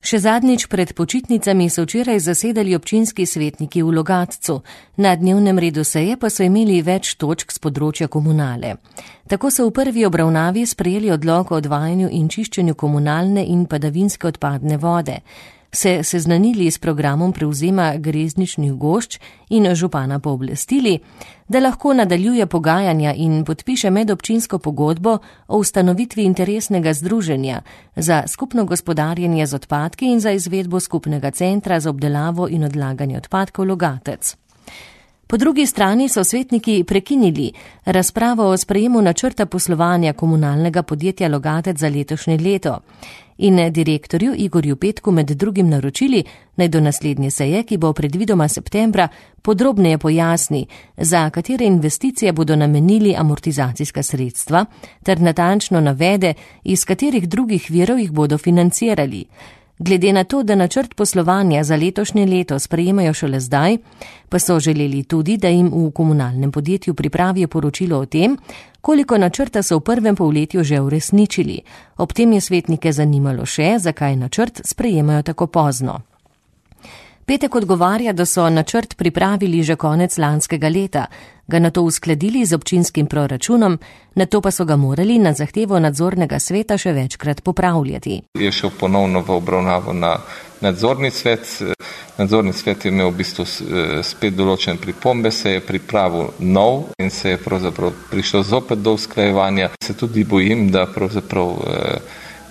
Še zadnjič pred počitnicami so včeraj zasedali občinski svetniki v Logatcu. Na dnevnem redu seje pa so imeli več točk s področja komunale. Tako so v prvi obravnavi sprejeli odlok o odvajanju in čiščenju komunalne in padavinske odpadne vode. Se seznanili s programom prevzema grezničnih gošč in župana pooblastili, da lahko nadaljuje pogajanja in podpiše medobčinsko pogodbo o ustanovitvi interesnega združenja za skupno gospodarjenje z odpadki in za izvedbo skupnega centra za obdelavo in odlaganje odpadkov Logatec. Po drugi strani so svetniki prekinili razpravo o sprejemu načrta poslovanja komunalnega podjetja Logatec za letošnje leto in direktorju Igorju Petku med drugim naročili, naj do naslednje seje, ki bo predvidoma septembra, podrobneje pojasni, za katere investicije bodo namenili amortizacijska sredstva, ter natančno navede, iz katerih drugih virov jih bodo financirali. Glede na to, da načrt poslovanja za letošnje leto sprejemajo šele zdaj, pa so želeli tudi, da jim v komunalnem podjetju pripravijo poročilo o tem, koliko načrta so v prvem polletju že uresničili. Ob tem je svetnike zanimalo še, zakaj načrt sprejemajo tako pozno. Petek odgovarja, da so načrt pripravili že konec lanskega leta, ga nato uskladili z občinskim proračunom, nato pa so ga morali na zahtevo nadzornega sveta še večkrat popravljati. Je šel ponovno v obravnavo na nadzorni svet. Nadzorni svet je imel v bistvu spet določene pripombe, se je pripravil nov in se je pravzaprav prišlo zopet do usklajevanja. Se tudi bojim, da pravzaprav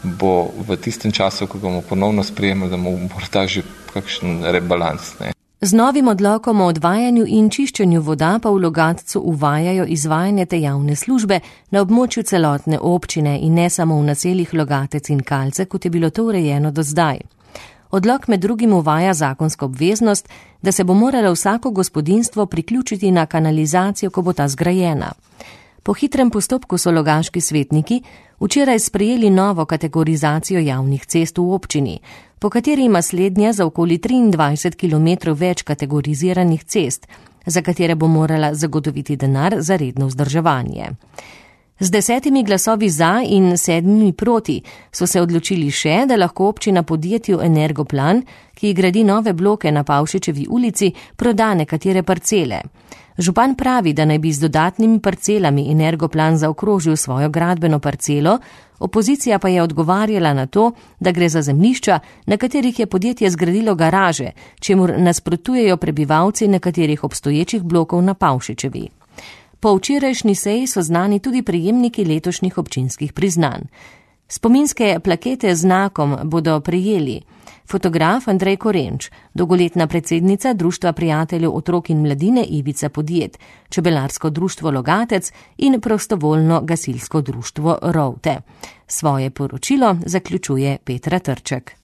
bo v tistem času, ko bomo ponovno sprejemali, da bo morda že kakšen rebalans. Z novim odlokom o odvajanju in čiščenju voda pa v Logatcu uvajajo izvajanje te javne službe na območju celotne občine in ne samo v naseljih Logatec in Kalce, kot je bilo to urejeno do zdaj. Odlok med drugim uvaja zakonsko obveznost, da se bo moralo vsako gospodinjstvo priključiti na kanalizacijo, ko bo ta zgrajena. Po hitrem postopku so logaški svetniki včeraj sprejeli novo kategorizacijo javnih cest v občini, po kateri ima slednja za okoli 23 km več kategoriziranih cest, za katere bo morala zagotoviti denar za redno vzdrževanje. Z 10 glasovi za in 7 proti so se odločili še, da lahko občina podjetju Energoplan, ki gradi nove bloke na Pavšičevi ulici, proda nekatere parcele. Župan pravi, da naj bi z dodatnimi parcelami Energoplan zaokrožil svojo gradbeno parcelo, opozicija pa je odgovarjala na to, da gre za zemljišča, na katerih je podjetje zgradilo garaže, čemur nasprotujejo prebivalci nekaterih obstoječih blokov na Pavšičevi. Po včerajšnji seji so znani tudi prejemniki letošnjih občinskih priznanj. Spominske plakete z znakom bodo prejeli fotograf Andrej Korenč, dolgoletna predsednica Društva prijateljev otrok in mladine Ivica Podjet, Čebelarsko društvo Logatec in prostovoljno gasilsko društvo Rovte. Svoje poročilo zaključuje Petra Trček.